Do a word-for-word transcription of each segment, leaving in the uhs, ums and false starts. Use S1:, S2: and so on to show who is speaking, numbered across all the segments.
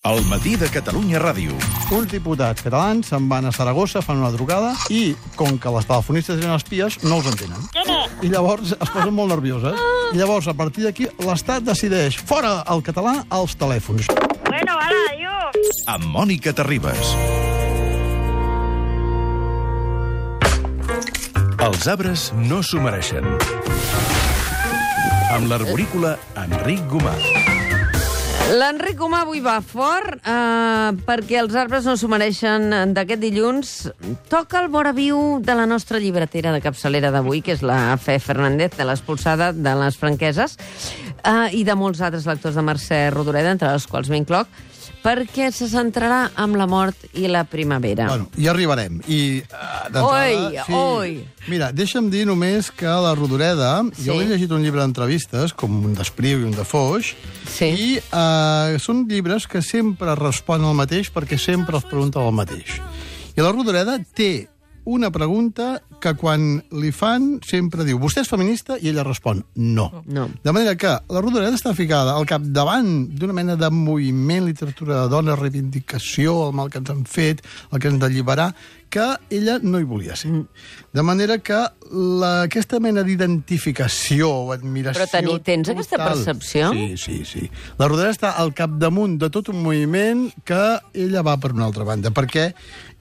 S1: El matí de Catalunya Ràdio.
S2: Uns diputats catalans se'n van a Saragossa, fan una trucada i, com que les telefonistes eren espies, no els entenen. I llavors es posen molt nervioses. I llavors, a partir d'aquí, l'Estat decideix fora el català als telèfons.
S3: Bueno, ara, adiós.
S1: Amb Mònica Terribas. Els arbres no s'ho mereixen. Amb l'arborícola Enric Gomà.
S4: L'Enric Gomà avui va fort eh, perquè els arbres no s'ho mereixen d'aquest dilluns. Toca el vora viu de la nostra llibretera de capçalera d'avui, que és la Fe Fernández, de l'Expulsada de les Franqueses, eh, i de molts altres lectors de Mercè Rodoreda, entre els quals m'incloc, perquè se centrarà amb la mort i la primavera.
S2: Bueno, hi arribarem. I, uh,
S4: oi,
S2: sí.
S4: oi.
S2: Mira, deixa'm dir només que la Rodoreda,
S4: sí.
S2: jo he llegit un llibre d'entrevistes, com un d'Espriu i un de Foix,
S4: sí.
S2: i uh, són llibres que sempre responen el mateix perquè sempre els pregunten el mateix. I la Rodoreda té una pregunta que quan li fan sempre diu vostè és feminista? I ella respon no.
S4: no.
S2: De manera que la Rodoreda està ficada al capdavant d'una mena de moviment, literatura de dona, reivindicació, el mal que ens han fet, el que ens han d'alliberar, que ella no hi volia ser. Mm. De manera que la, aquesta mena d'identificació o admiració...
S4: Però teni, tens total, aquesta percepció?
S2: Sí, sí, sí. La Rodoreda està al capdamunt de tot un moviment que ella va per una altra banda, perquè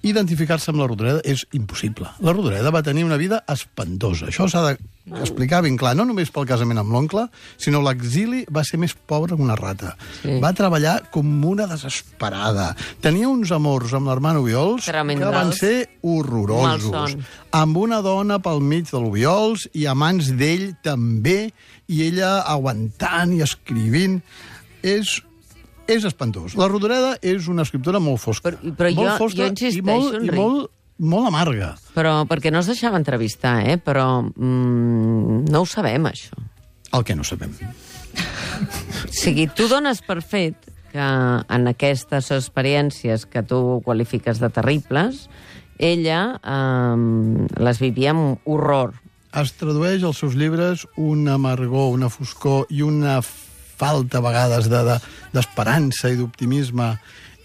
S2: identificar-se amb la Rodoreda és impossible. La Rodoreda va tenir una vida espantosa. Això s'ha d'explicar ben clar, no només pel casament amb l'oncle, sinó l'exili va ser més pobre que una rata. Sí. Va treballar com una desesperada. Tenia uns amors amb l'hermano Obiols que van ser horrorosos. Amb una dona pel mig de l'Obiols i a mans d'ell també, i ella aguantant i escrivint. És... És espantós. La Rodoreda és una escriptora molt fosca.
S4: Però, però
S2: molt
S4: jo,
S2: fosca
S4: jo insisteixo,
S2: i molt, i molt, molt amarga.
S4: Però perquè no es deixava entrevistar, eh? Però mm, no ho sabem, això.
S2: El que no sabem.
S4: O sigui, tu dones per fet que en aquestes experiències que tu qualifiques de terribles, ella eh, les vivia amb horror.
S2: Es tradueix als seus llibres una amargor, una foscor i una falta a vegades d'esperança de, i d'optimisme.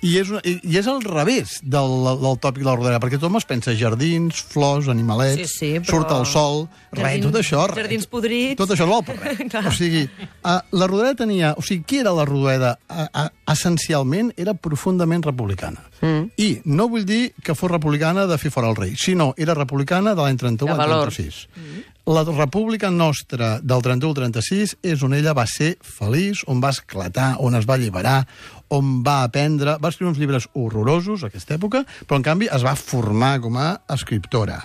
S2: I és, una, i és al revés del, del tòpic de la Rodoreda, perquè tothom es pensa jardins, flors, animalets,
S5: sí, sí, però...
S2: surt el sol, res, tot això... Res,
S5: jardins podrits...
S2: Tot això no val per res. O sigui, uh, la Rodoreda tenia... O sigui, qui era la Rodoreda? Uh, uh, essencialment era profundament republicana. Mm. I no vull dir que fos republicana de fer fora el rei, sinó era republicana de l'any trenta-u al trenta-sis. Mm. La república nostra del trenta-u al trenta-sis és on ella va ser feliç, on va esclatar, on es va alliberar, on va aprendre... Va escriure uns llibres horrorosos, a aquesta època, però, en canvi, es va formar com a escriptora.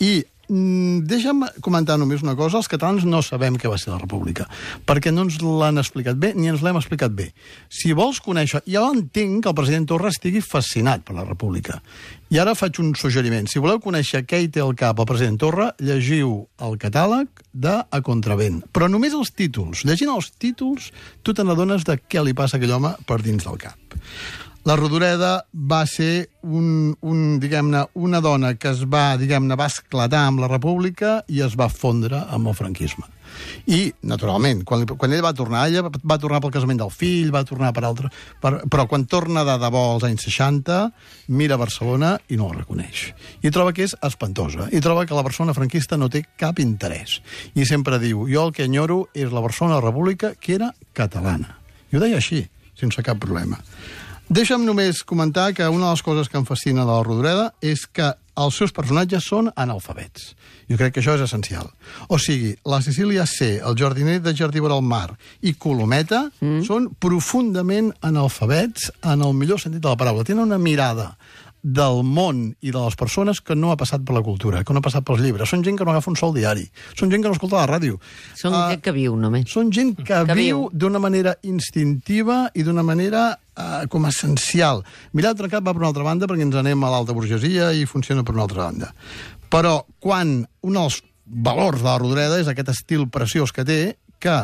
S2: I mm, deixa'm comentar només una cosa. Els catalans no sabem què va ser la república, perquè no ens l'han explicat bé, ni ens l'hem explicat bé. Si vols conèixer... Jo entenc que el president Torra estigui fascinat per la república. I ara faig un suggeriment. Si voleu conèixer què hi té al cap el president Torra, llegiu el catàleg de A Contravent. Però només els títols. Llegint els títols, tu te n'adones de què li passa a aquell home per dins del cap. La Rodoreda va ser un, un, diguem-ne, una dona que es va, diguem-ne, va esclatar amb la república i es va fondre amb el franquisme. I, naturalment, quan, quan ell va tornar, ella va tornar pel casament del fill, va tornar per altre... Per, però quan torna de debò als anys seixanta, mira Barcelona i no la reconeix. I troba que és espantosa. I troba que la persona franquista no té cap interès. I sempre diu, jo el que enyoro és la Barcelona de la República que era catalana. I ho deia així, sense cap problema. Deixa'm només comentar que una de les coses que em fascina de la Rodoreda és que els seus personatges són analfabets. Jo crec que això és essencial. O sigui, la Cecília C., el jardiner de Jardí vora el mar i Colometa mm. són profundament analfabets en el millor sentit de la paraula. Tenen una mirada del món i de les persones que no ha passat per la cultura, que no ha passat pels llibres. Són gent que no agafa un sol diari. Són gent que no escolta la ràdio.
S4: Són uh, gent que viu, només.
S2: Són gent que, que viu, viu d'una manera instintiva i d'una manera uh, com essencial. Mirat Trencat va per una altra banda perquè ens anem a l'alta burgesia i funciona per una altra banda. Però quan un dels valors de la Rodoreda és aquest estil preciós que té, que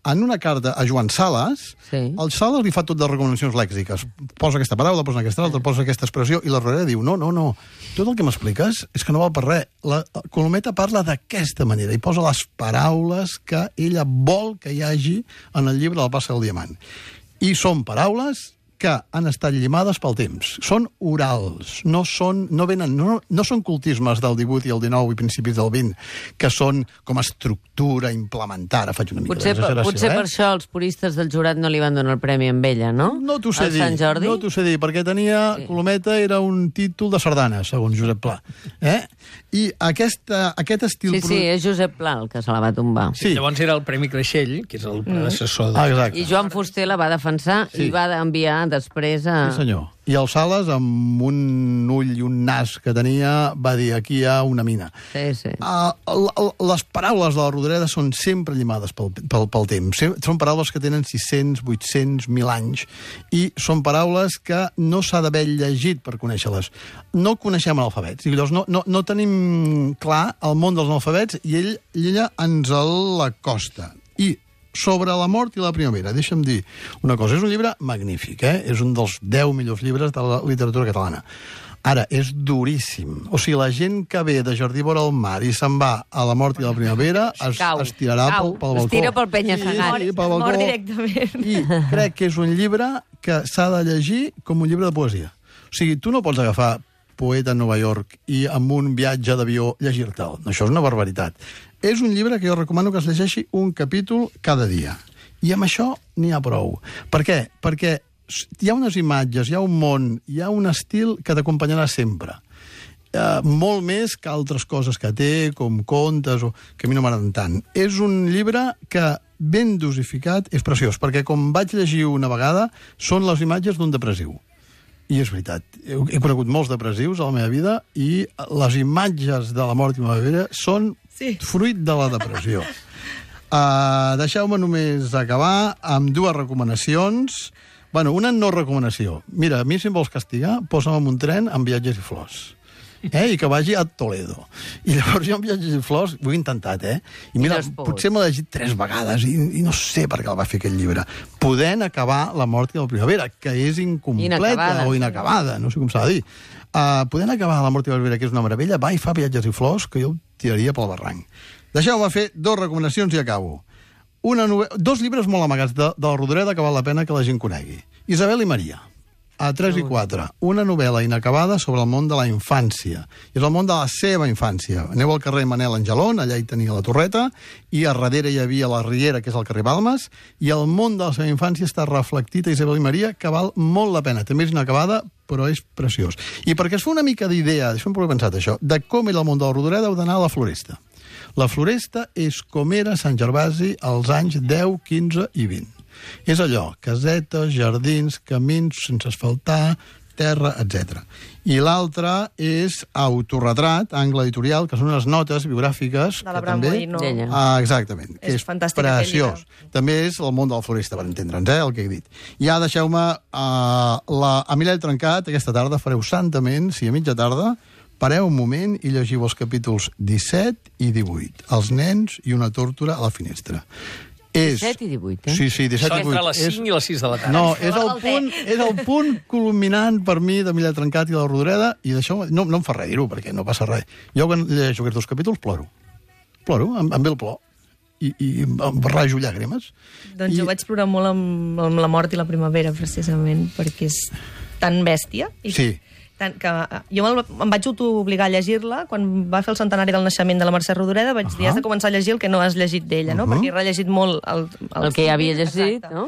S2: en una carta a Joan Sales, sí. el Sales li fa tot de recomanacions lèxiques. Posa aquesta paraula, posa aquesta altra, posa aquesta expressió, i la Rodoreda diu, no, no, no, tot el que m'expliques és que no val per res. La Colometa parla d'aquesta manera i posa les paraules que ella vol que hi hagi en el llibre del Passa del Diamant. I són paraules que han estat llimades pel temps. Són orals, no són, no venen, no, no són cultismes del divuit i el dinou i principis del vint, que són com a estructura implementar. Faig una mica
S4: Potser, per, potser
S2: eh?
S4: per això els puristes del jurat no li van donar el premi amb ella, no?
S2: No t'ho sé
S4: El
S2: dir,
S4: Sant Jordi?
S2: no t'ho sé dir, perquè tenia,
S4: Sí.
S2: Colometa era un títol de sardana, segons Josep Pla. Eh? I aquesta, aquest estil...
S4: Sí, sí, és Josep Pla el que se la va tombar.
S2: Sí.
S5: Llavors era el Premi Creixell, que és el predecessor de...
S2: Ah, exacte.
S4: I Joan Fuster la va defensar
S2: Sí.
S4: i va enviar després a...
S2: Sí, senyor. I el Sales, amb un ull i un nas que tenia, va dir, aquí hi ha una mina.
S4: Sí, sí.
S2: Uh, les paraules de la Rodoreda són sempre llimades pel, pel, pel temps. Són paraules que tenen sis-cents, vuit-cents, mil anys, i són paraules que no s'ha d'haver llegit per conèixer-les. No coneixem l'alfabet. Llavors no, no, no tenim clar el món dels analfabets i ell, ella ens l'acosta. I sobre la mort i la primavera, deixa'm dir una cosa. És un llibre magnífic, eh? És un dels deu millors llibres de la literatura catalana. Ara, és duríssim. O sigui, la gent que ve de Jardí vora el mar i se'n va a la mort i la primavera es,
S4: Cau,
S2: es tirarà
S4: cau.
S2: pel, pel balcó.
S4: Es tira pel penya-segat.
S2: Sí, sí, pel balcó.
S6: Mor directament.
S2: I crec que és un llibre que s'ha de llegir com un llibre de poesia. O sigui, tu no pots agafar Poeta a Nova York i amb un viatge d'avió llegir-te'l. Això és una barbaritat. És un llibre que jo recomano que es llegeixi un capítol cada dia. I amb això n'hi ha prou. Per què? Perquè hi ha unes imatges, hi ha un món, hi ha un estil que t'acompanyarà sempre. Uh, molt més que altres coses que té, com contes, o que a mi no m'agraden tant. És un llibre que, ben dosificat, és preciós, perquè com vaig llegir una vegada, són les imatges d'un depressiu. I és veritat, he, he conegut molts depressius a la meva vida i les imatges de la mort i la primavera són
S6: Sí.
S2: fruit de la depressió. Uh, Deixeu-me només acabar amb dues recomanacions. Bueno, una no recomanació. Mira, a mi si em vols castigar, posa'm en un tren amb viatges i flors. Eh? I que vagi a Toledo. I llavors jo amb viatges i flors ho he intentat, eh? I mira,
S4: no has pogut.
S2: potser m'ho he llegit tres vegades i, i no sé per què el va fer aquest llibre. Podent acabar la mort i la primavera, que és incompleta
S4: Inacabada.
S2: o inacabada, no sé com s'ha de dir. Uh, podent acabar la mort i la primavera, que és una meravella, va i fa viatges i flors, que jo el tiraria pel barranc. Deixeu-me fer dues recomanacions i acabo. Una nove... Dos llibres molt amagats de, de la Rodoreda que val la pena que la gent conegui. Isabel i Maria, a tres i quatre. Una novel·la inacabada sobre el món de la infància. És el món de la seva infància. Aneu al carrer Manel Angelon, allà hi tenia la Torreta, i a darrere hi havia la Riera, que és el carrer Balmes, i el món de la seva infància està reflectit a Isabel i Maria, que val molt la pena. També és inacabada, però és preciós. I perquè es fa una mica d'idea, això em he pensat això, de com era el món de la Rodoreda, heu d'anar a la Floresta. La Floresta és com era Sant Gervasi als anys deu, quinze i vint. És allò, casetes, jardins, camins sense asfaltar, terra, etcètera. I l'altre és Autorretrat, angle editorial, que són unes notes biogràfiques...
S6: De la
S2: que també...
S6: Bramboino.
S4: D'ella.
S2: Ah, exactament. Que
S6: És
S2: és
S6: fantàstic aquell
S2: preciós. També és el món de la Floresta, per entendre'ns, eh, el que he dit. Ja deixeu-me... Uh, la... A Mirall Trencat, aquesta tarda, fareu santament, si a mitja tarda, pareu un moment i llegiu els capítols disset i divuit. Els nens i una tórtora a la finestra. És...
S4: disset i divuit, eh?
S2: Sí, sí, disset
S5: Això
S2: i divuit.
S5: entre les cinc i les sis de la tarda.
S2: No, és el, punt, és el punt culminant per mi de Mirall Trencat i de la Rodoreda, i d'això no, no em fa res dir-ho, perquè no passa res. Jo quan llegeixo aquests dos capítols ploro. Ploro, em, em ve el plor. I, i em rajo llàgrimes.
S6: Doncs
S2: I...
S6: jo vaig plorar molt amb, amb la mort i la primavera, precisament, perquè és tan bèstia. I
S2: Sí.
S6: Tant que jo me'l- em vaig autoobligar a llegir-la quan va fer el centenari del naixement de la Mercè Rodoreda. Vaig dir, has de començar a llegir el que no has llegit d'ella, no?
S2: Uh-huh.
S6: Perquè he rellegit molt el,
S4: El que ja havia llegit,
S6: Exacte.
S4: no?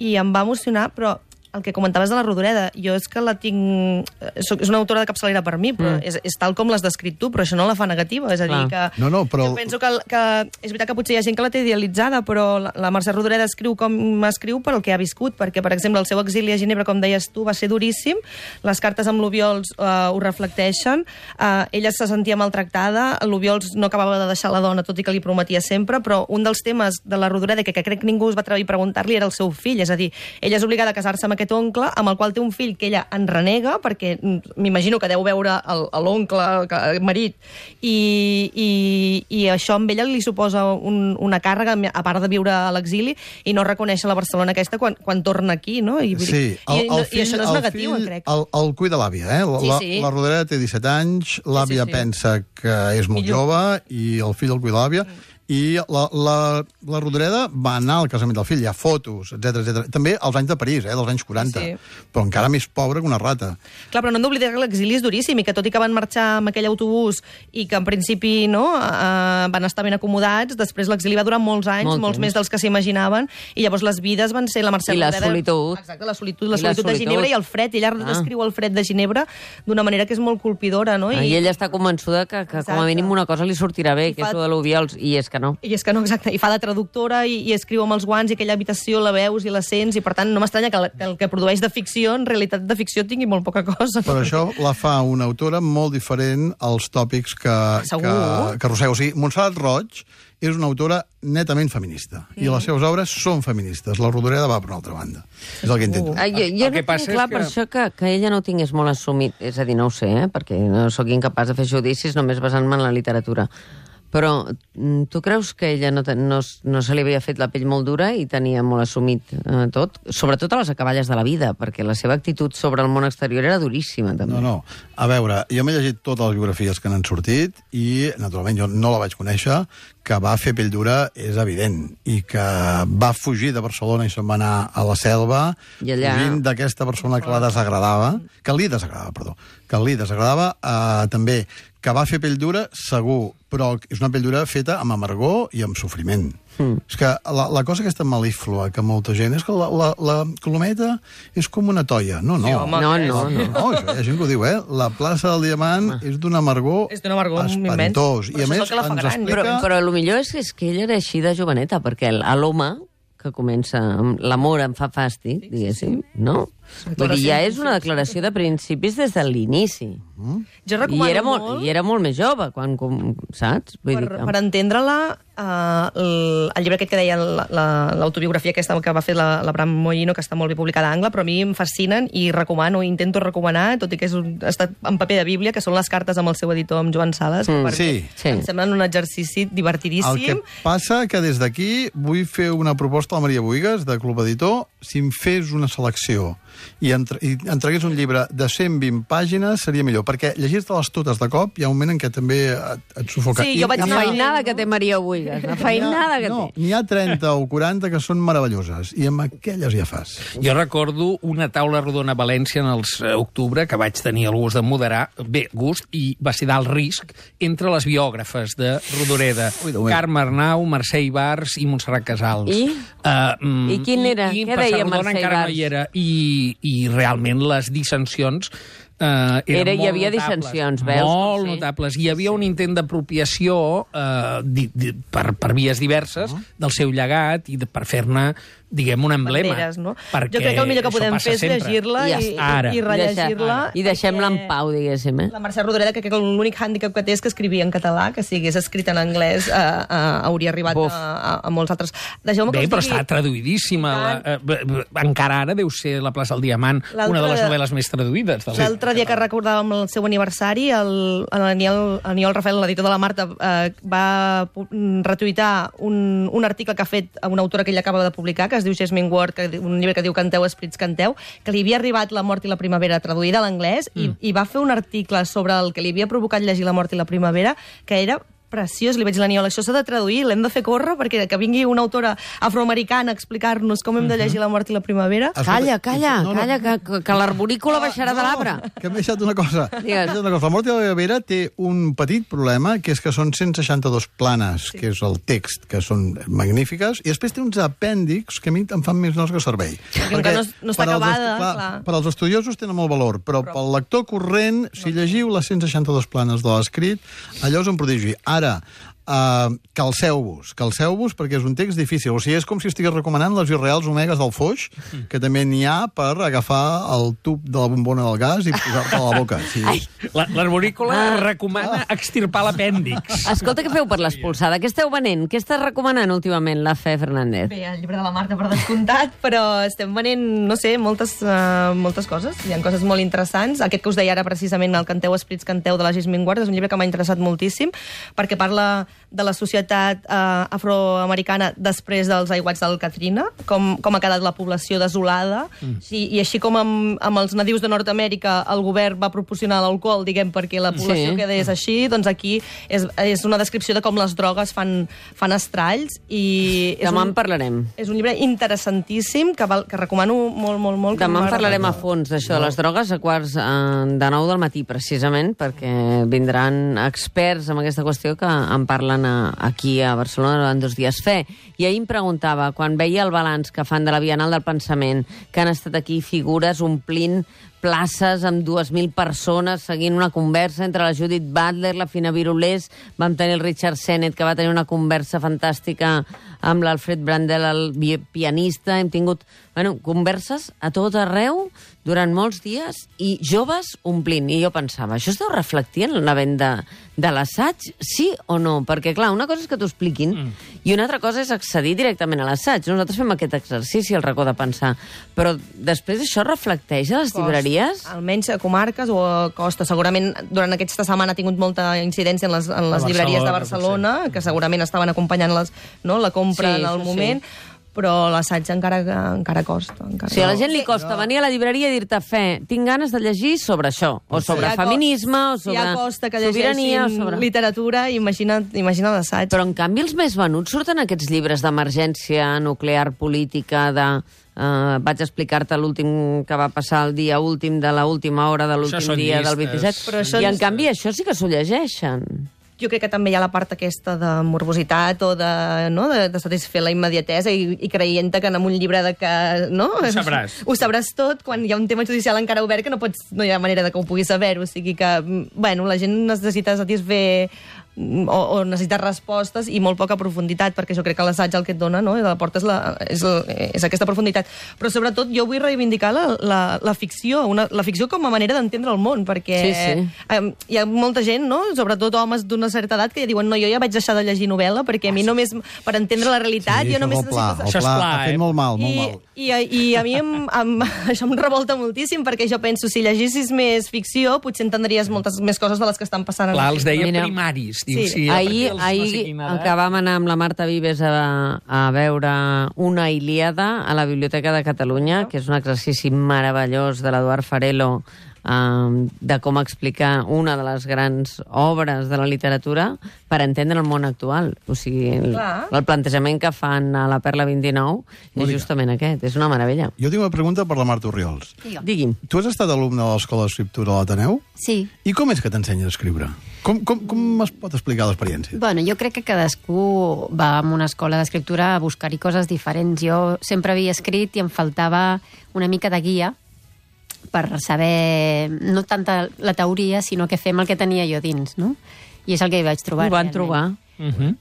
S6: I em va emocionar, però el que comentaves de la Rodoreda, jo és que la tinc... Soc, és una autora de capçalera per mi, però mm. és, és tal com l'has descrit tu, però això no la fa negativa. És a dir,
S4: Clar.
S6: que...
S2: No, no, però-
S6: Jo penso que, que... És veritat que potser hi ha gent que la té idealitzada, però la, la Mercè Rodoreda escriu com escriu per el que ha viscut, perquè, per exemple, el seu exili a Ginebra, com deies tu, va ser duríssim, les cartes amb l'Obiols uh, ho reflecteixen, uh, ella se sentia maltractada, l'Obiols no acabava de deixar la dona, tot i que li prometia sempre, però un dels temes de la Rodoreda que, que crec que ningú es va atrevir a preguntar-li era el seu fill, és a dir, ella és obligada a casar-se amb aquest oncle, amb el qual té un fill que ella en renega, perquè m'imagino que deu veure l'oncle, el marit, i, i, i això amb ella li suposa un, una càrrega, a part de viure a l'exili, i no reconèixer la Barcelona aquesta quan, quan torna aquí, no? I,
S2: Sí,
S6: i,
S2: el, el
S6: i,
S2: fill,
S6: i això no és
S2: el
S6: negatiu,
S2: fill,
S6: crec.
S2: el, el cuida l'àvia, eh? La,
S6: Sí, sí.
S2: la, la Rodoreda té disset anys, l'àvia
S6: Sí, sí, sí.
S2: pensa que és molt
S6: Millor.
S2: jove i el fill el cuida l'àvia, I la, la, la Rodoreda va anar al casament del fill, hi ha fotos, etcètera etcètera. També als anys de París, eh, dels anys quaranta,
S6: Sí.
S2: però encara més pobra que una rata.
S6: Clar, però no hem d'oblidar que l'exili és duríssim i que tot i que van marxar amb aquell autobús i que en principi no, eh, van estar ben acomodats, després l'exili va durar molts anys,
S4: Molt
S6: molts
S4: temps.
S6: més dels que s'imaginaven, i llavors les vides van ser la Mercè
S4: I la
S6: Rodoreda...
S4: solitud.
S6: Exacte, la solitud, la
S4: I la
S6: solitud de
S4: solitud.
S6: Ginebra i el fred. Ella
S4: Ah.
S6: descriu el fred de Ginebra d'una manera que és molt colpidora, no?
S4: I ella està convençuda que, que com a
S6: Exacte.
S4: mínim una cosa li sortirà bé,
S6: I
S4: que
S6: fa-
S4: és el de l'Ubiols, i és que no.
S6: I és que no, exacte, i fa de traductora i, i escriu amb els guants i aquella habitació la veus i la sents i per tant no m'estranya que, la, que el que produeix de ficció en realitat de ficció tingui molt poca cosa.
S2: Per això la fa una autora molt diferent als tòpics que,
S6: Segur.
S2: que, que arrossega. O sigui, Montserrat Roig és una autora netament feminista, mm. i les seves obres són feministes. La Rodoreda va per una altra banda. És el que intento.
S4: Ah, jo jo
S5: El
S4: no
S5: que passa
S4: tinc clar
S5: és que-
S4: per això que, que ella no ho tingués molt assumit. És a dir, no ho sé, eh? Perquè no sóc incapaç de fer judicis només basant-me en la literatura. Però mm, tu creus que ella no, te- no, s- no se li havia fet la pell molt dura i tenia molt assumit eh, tot? Sobretot a les acaballes de la vida, perquè la seva actitud sobre el món exterior era duríssima, també.
S2: No, no. A veure, jo m'he llegit totes les biografies que n'han sortit i, naturalment, jo no la vaig conèixer, que va fer pell dura és evident, i que va fugir de Barcelona i se'n va anar a la selva,
S4: I allà-
S2: fugint d'aquesta persona que la desagradava, que li desagradava, perdó, que li desagradava, eh, també, que va fer pell dura, segur, però és una pell dura feta amb amargor i amb sofriment. Mm. És que la, la cosa aquesta mal·líflua que molta gent... És que la, la, la Colometa és com una toia. No, no.
S6: Sí, home,
S4: No,
S6: que és-
S4: no, no.
S2: No, això hi ha gent que ho diu, eh? La plaça del Diamant és d'un amargor
S6: És d'un amargor
S2: espantós.
S6: immens.
S2: I
S6: Però
S2: a
S6: això és
S2: més
S6: el que la fa
S2: ens
S6: gran.
S2: explica...
S4: Però, però el millor és, és que ella era així de joveneta, perquè el- a l'home que comença amb l'amor em fa fàstic, diguéssim, no? Vull dir, ja és una declaració de principis des de l'inici.
S6: Jo recomano
S4: I era molt,
S6: molt...
S4: I era molt més jove, quan, com, saps? Vull
S6: Per,
S4: dir que...
S6: per entendre-la, uh, el, el llibre aquest que deia la- la- l'autobiografia aquesta que va fer la, la Bram Mollino, que està molt bé publicada a Angle, però a mi em fascinen i recomano, intento recomanar, tot i que és un, ha estat en paper de Bíblia, que són les cartes amb el seu editor, amb Joan Sales,
S4: Mm,
S6: perquè
S2: sí,
S4: sí.
S6: em semblen un exercici divertidíssim.
S2: El que passa que des d'aquí vull fer una proposta a la Maria Boigas, de Club Editor, si em fes una selecció i, entre, i entregués un llibre de cent vint pàgines, seria millor, perquè llegir-te-les totes de cop hi ha un moment en què també et, et sufoca.
S6: Sí, jo vaig
S4: La
S6: anar-
S4: feinada que té Maria Buigas, la feinada que
S2: no,
S4: té.
S2: n'hi ha trenta o quaranta que són meravelloses, i amb aquelles ja fas.
S5: Jo recordo una taula rodona a València en els eh, octubre, que vaig tenir el gust de moderar, bé, gust, i va ser d'alt risc, entre les biògrafes de Rodoreda,
S2: Ui, Déu meu.
S5: Carme Arnau, Mercè Ibars i Montserrat Casals.
S4: I?
S5: Uh, mm,
S4: I quin era?
S5: I, i
S4: Què
S5: per
S4: deia
S5: Sardona
S4: Mercè
S5: encara
S4: Ibars?
S5: no hi era. I, I realment les dissensions eh, eren
S4: Era- hi
S5: molt
S4: havia
S5: notables.
S4: dissensions, veus?
S5: Molt
S4: Sí.
S5: notables. Hi havia un intent d'apropiació eh, di, di, per, per vies diverses
S2: Uh-huh.
S5: del seu llegat i de, per fer-ne, diguem, un emblema.
S6: Banderes, no?
S5: Perquè
S6: Jo crec que el millor que
S5: això
S6: podem
S5: passa
S6: fer és
S5: sempre.
S6: llegir-la
S4: I ja
S6: i,
S4: està.
S5: Ara.
S6: i, i rellegir-la.
S4: I deixem-la en
S6: perquè
S4: pau, diguéssim, eh?
S6: La Mercè Rodoreda, que crec que l'únic hàndicap que té és que escrivia en català, que si hagués escrit en anglès eh, eh, hauria arribat
S4: Buf.
S6: a, a, a molts altres. Deixeu-me que
S5: Bé,
S6: us
S5: però
S6: digui-
S5: està traduïdíssima. La, eh, b- b- encara ara deu ser La plaça del Diamant
S6: L'altre-
S5: una de les novel·les més traduïdes. Del
S6: L'altre dia que recordàvem el seu aniversari, el, l'Aniol Aniol Rafael, l'editor de la Marta, eh, va pu- retuitar un, un article que ha fet a una autora que ell acaba de publicar, que es diu Jasmine Ward, que, un llibre que diu Canteu, Esprits, Canteu, que li havia arribat La mort i la primavera traduïda a l'anglès, mm. i, i va fer un article sobre el que li havia provocat llegir La mort i la primavera, que era preciós. Li vaig dir a l'Aniol, això s'ha de traduir, l'hem de fer córrer perquè que vingui una autora afroamericana a explicar-nos com hem de llegir La mort i la primavera.
S4: Calla, calla,
S2: No, no.
S4: calla, que, que, que l'arborícola baixarà de l'arbre.
S2: Que m'he deixat una cosa.
S4: Digues.
S2: M'he deixat una cosa. La mort de la Vera té un petit problema, que és que són cent seixanta-dos planes, sí. que és el text, que són magnífiques, i després té uns apèndixs que a mi em fan més nosa que servei.
S6: com que no- no està
S2: per als
S6: acabada,
S2: estu- clar,
S6: clar.
S2: per als estudiosos tenen molt valor, però, però... pel lector corrent, si llegiu les cent seixanta-dos planes de l'escrit, allò és un prodigi. Ara, Uh, calceu-vos, calceu-vos perquè és un text difícil, o sigui, és com si estigués recomanant les irreals omegues del foix, que també n'hi ha per agafar el tub de la bombona del gas i posar-te a la boca. Sí.
S4: Ai.
S5: La- L'arborícola
S4: Ah.
S5: recomana extirpar l'apèndix.
S4: Escolta, què feu per l'expulsada? Què esteu venent? Què estàs recomanant últimament, la Fe Fernández?
S6: Bé, el llibre de la Marta per descomptat, però estem venent, no sé, moltes, uh, moltes coses. Hi ha coses molt interessants. Aquest que us deia ara precisament, el Canteu, Esprits, Canteu, de la Jasmine Ward, és un llibre que m'ha interessat moltíssim, perquè parla de la societat eh, afroamericana després dels aiguats del Katrina, com, com ha quedat la població desolada, mm. sí, i així com amb, amb els nadius de Nord-Amèrica el govern va proporcionar l'alcohol, diguem, perquè la població sí. quedés així, doncs aquí és, és una descripció de com les drogues fan, fan estralls. I és
S4: Demà
S6: un,
S4: en parlarem.
S6: És un llibre interessantíssim que, val, que recomano molt, molt, molt.
S4: Demà en parlarem a fons d'això, de les drogues, a quarts eh, de nou del matí, precisament, perquè vindran experts en aquesta qüestió que en parlen a, aquí a Barcelona durant dos dies. Fe, i ahir em preguntava, quan veia el balanç que fan de la Bienal del Pensament, que han estat aquí figures omplint places amb dues mil persones seguint una conversa entre la Judith Butler, la Fina Virulés, vam tenir el Richard Sennett, que va tenir una conversa fantàstica amb l'Alfred Brandel, el pianista. Hem tingut bueno, converses a tot arreu durant molts dies i joves omplint. I jo pensava, això es deu reflectir en la venda de l'assaig, sí o no? Perquè, clar, una cosa és que t'ho expliquin mm. i una altra cosa és accedir directament a l'assaig. Nosaltres fem aquest exercici, el racó de pensar. Però després això reflecteix a les
S6: Costa.
S4: llibreries?
S6: Almenys a comarques o a Costa. Segurament durant aquesta setmana ha tingut molta incidència en les, en les llibreries de Barcelona, que segurament estaven acompanyant les, no, la compra sí, en el moment, sí. però l'assaig encara, encara costa. Encara
S4: sí, a la gent li costa venir a la llibreria i dir-te, Fe, tinc ganes de llegir sobre això, o sobre
S6: si
S4: feminisme, o sobre
S6: si costa que
S4: sobirania, o sobre
S6: literatura, imagina, imagina l'assaig.
S4: Però, en canvi, els més venuts surten aquests llibres d'emergència nuclear política, de... Uh, vaig explicar-te l'últim que va passar el dia últim de l'última hora de l'últim dia del vint-i-set. Però I, en canvi, això sí que s'ho llegeixen.
S6: Jo crec que també hi ha la part aquesta de morbositat o de, no, de, de satisfer la immediatesa i, i creient que en un llibre de que... No?
S5: Ho sabràs.
S6: Ho sabràs tot, quan hi ha un tema judicial encara obert que no, pots, no hi ha manera de que ho puguis saber. O sigui que, bueno, la gent necessita satisfer o, o necessita respostes i molt poca profunditat, perquè jo crec que l'assaig el que et dona, no? La porta és, la, és, és aquesta profunditat. Però sobretot jo vull reivindicar la, la, la ficció, una, la ficció com a manera d'entendre el món, perquè
S4: sí, sí.
S6: Eh, hi ha molta gent, no? Sobretot homes d'una certa edat, que ja diuen, no, jo ja vaig deixar de llegir novel·la, perquè a mi només, per entendre la realitat,
S2: sí,
S6: jo només...
S2: El pla,
S6: necessito...
S2: el pla,
S5: pla,
S2: ha fet
S5: eh?
S2: molt mal, molt
S6: I,
S2: mal.
S6: I, i a mi em, em, això em revolta moltíssim, perquè jo penso, si llegissis més ficció, potser entendries moltes més coses de les que estan passant.
S5: Clar, els deia
S4: Mira,
S5: primaris. Diu,
S6: sí.
S5: sí,
S4: ahir ahir no que vam anar amb la Marta Vives a, a veure una Ilíada a la Biblioteca de Catalunya, que és un exercici meravellós de l'Eduard Farelo, Um, de com explicar una de les grans obres de la literatura per entendre el món actual. O sigui, el, el plantejament que fan a la Perla vint-i-nou és justament aquest. És una meravella.
S2: Jo tinc una pregunta per la Marta Orriols.
S4: Digui'm.
S2: Tu has estat alumne de l'Escola d'Escriptura a l'Ateneu?
S7: Sí.
S2: I com és que t'ensenya a escriure? Com, com, com es pot explicar l'experiència?
S7: Bueno, jo crec que cadascú va a una escola d'escriptura a buscar-hi coses diferents. Jo sempre havia escrit i em faltava una mica de guia per saber, no tanta la teoria, sinó que fem el que tenia jo dins, no? I és el que hi vaig trobar.
S4: Ho van
S7: realment.
S4: trobar.
S5: Uh -huh.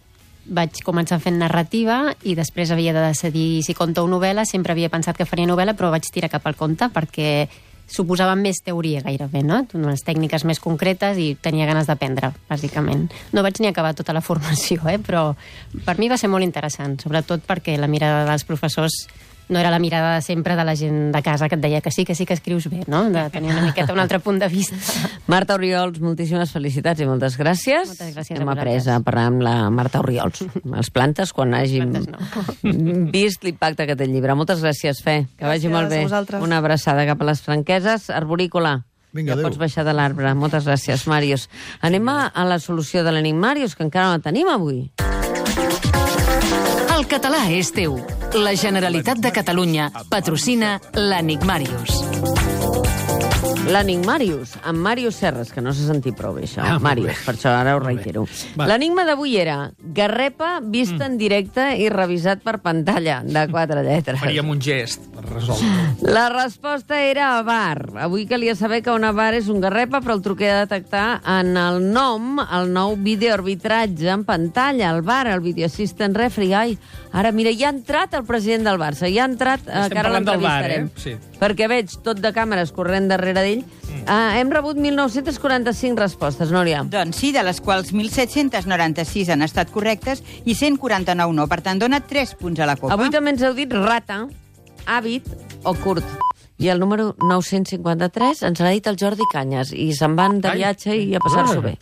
S7: Vaig començar fent narrativa i després havia de decidir si conte o novel·la. Sempre havia pensat que faria novel·la, però vaig tirar cap al conte perquè suposava més teoria gairebé, no? Unes tècniques més concretes i tenia ganes d'aprendre, bàsicament. No vaig ni acabar tota la formació, eh? Però per mi va ser molt interessant, sobretot perquè la mirada dels professors no era la mirada de sempre de la gent de casa que et deia que sí, que sí que escrius bé, no? De tenir una miqueta un altre punt de vista.
S4: Marta Orriols, moltíssimes felicitats i moltes gràcies.
S7: Moltes gràcies
S4: Hem
S7: a
S4: après
S7: vosaltres.
S4: a parlar amb la Marta Orriols. Els plantes, quan hàgim
S7: Plantes no.
S4: vist l'impacte que té el llibre. Moltes gràcies, Fe. Que vagi
S6: Gràcies
S4: molt
S6: a
S4: bé.
S6: vosaltres.
S4: Una abraçada cap a les Franqueses. Arborícola.
S2: Vinga,
S4: ja
S2: adéu.
S4: pots baixar de l'arbre. Moltes gràcies, Màrius. Anem a, a la solució de l'Enigmàrius, Màrius, que encara no la tenim avui.
S8: El català és teu. La Generalitat de Catalunya patrocina l'Enigmàrius.
S4: L'Enigmàrius, amb Màrius Serres, que no s'ha sentit prou bé, això.
S5: Ah, molt
S4: Màrius,
S5: bé.
S4: per això ara ho
S5: Molt bé.
S4: reitero.
S5: Va.
S4: L'enigma d'avui era Garrepa vist en directe i revisat per pantalla, de quatre lletres.
S5: Faríem un gest per resoldre.
S4: La resposta era avar. Avui calia saber que un avar és un garrepa, però el truqué a detectar en el nom, el nou videoarbitratge en pantalla, el V A R, el Video Assistant Referee. Ai, ara, mira, ja ha entrat el president del Barça, ja ha entrat, eh,
S5: Estem
S4: que ara
S5: parlant del V A R,
S4: l'entrevistarem.
S5: eh? Sí.
S4: Perquè veig tot de càmeres corrent darrere d'ell. Mm. Uh, hem rebut mil nou-cents quaranta-cinc respostes, Núria.
S9: Doncs sí, de les quals mil set-cents noranta-sis han estat correctes i cent quaranta-nou no. Per tant, dona tres punts a la copa.
S4: Avui també ens heu dit rata, hàbit o curt. I el número nou-cents cinquanta-tres ens l'ha dit el Jordi Canyes i se'n van de
S5: Ai.
S4: viatge i a passar-s'ho bé.